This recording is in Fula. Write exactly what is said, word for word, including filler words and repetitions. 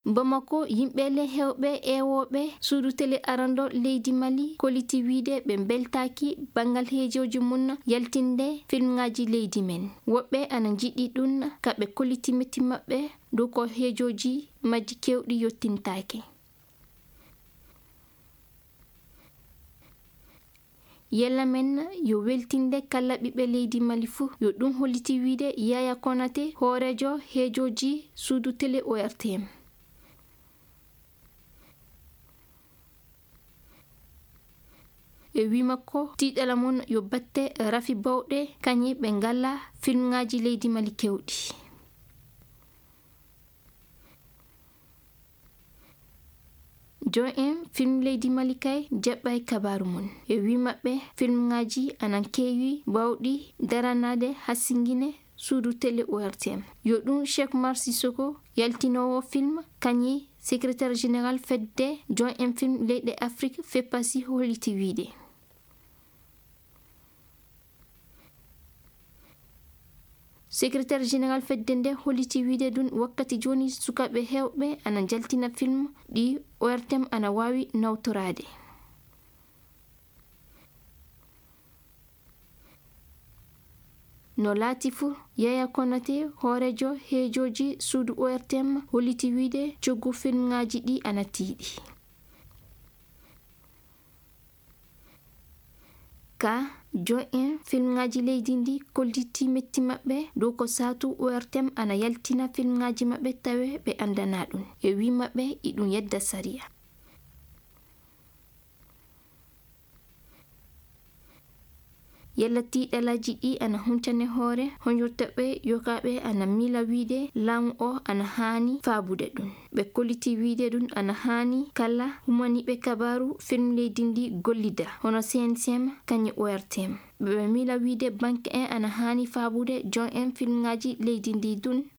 Bamako, yimɓe le hewɓe ewooɓe suudu tele arando leydi Mali koliti wiide ɓe mbeltaaki banngal heejooji mum yaltinde filmŋaaji leydi men. Woɓɓe ana njiɗi ɗum ka ɓe koliti metti maɓɓe dow ko heejooji majji keewɗi yottintaake. Yella men yo weltinde kala ɓiɓɓe leydi Mali fuu, yo ɗum holliti wiide Yaya Konate, hooreejo heejooji suudu tele O R T M. E wii makko, tiiɗala mon yo batte rafi bawɗe, kañe ɓe ngala filmŋaaji leydi Mali keewɗi. Joom en film leydi Mali kay jaɓɓay kabaaru mum. E wii maɓɓe, filmŋaaji anan keewi bawɗi daranaade hasingine suudu tele O R T M. Yo ɗum Cheikh Oumar Sissoko, yaltinoowo film, kañi secrétaire général fedde joom en film leyɗe Afrik, FEPASI, holliti wiide. Secrétaire général fedde nde holliti wiide ɗum wakkati jooni sukaaɓe heewɓe ana njaltina film ɗi O R T M ana waawi nawtoraade. No laati fuu, Yaya Konate, hooreejo heejooji suudu O R T M, holliti wiide coggu filmŋaaji ɗi ana tiiɗi. Ka joom en filmŋaaji leydi ndi kolliti metti maɓɓe dow ko saatu O R T M ana yaltina filmŋaaji maɓɓe tawe ɓe anndanaa ɗum. E wii maɓɓe, iɗum yedda sariya. Yalla tiiɗalaaji ɗi ana huncane hoore, honjottaɓe yokaaɓe ana miila wiide laamu o ana haani faabude ɗum. Ɓe kolliti wiide ɗum ana haani kala humaniiɓe kabaaru film leydi ndi gollida, hono C N C M kañum O R T M. Ɓe miila wiide banke en ana haani faabude joom en filmŋaaji leydi ndi ɗum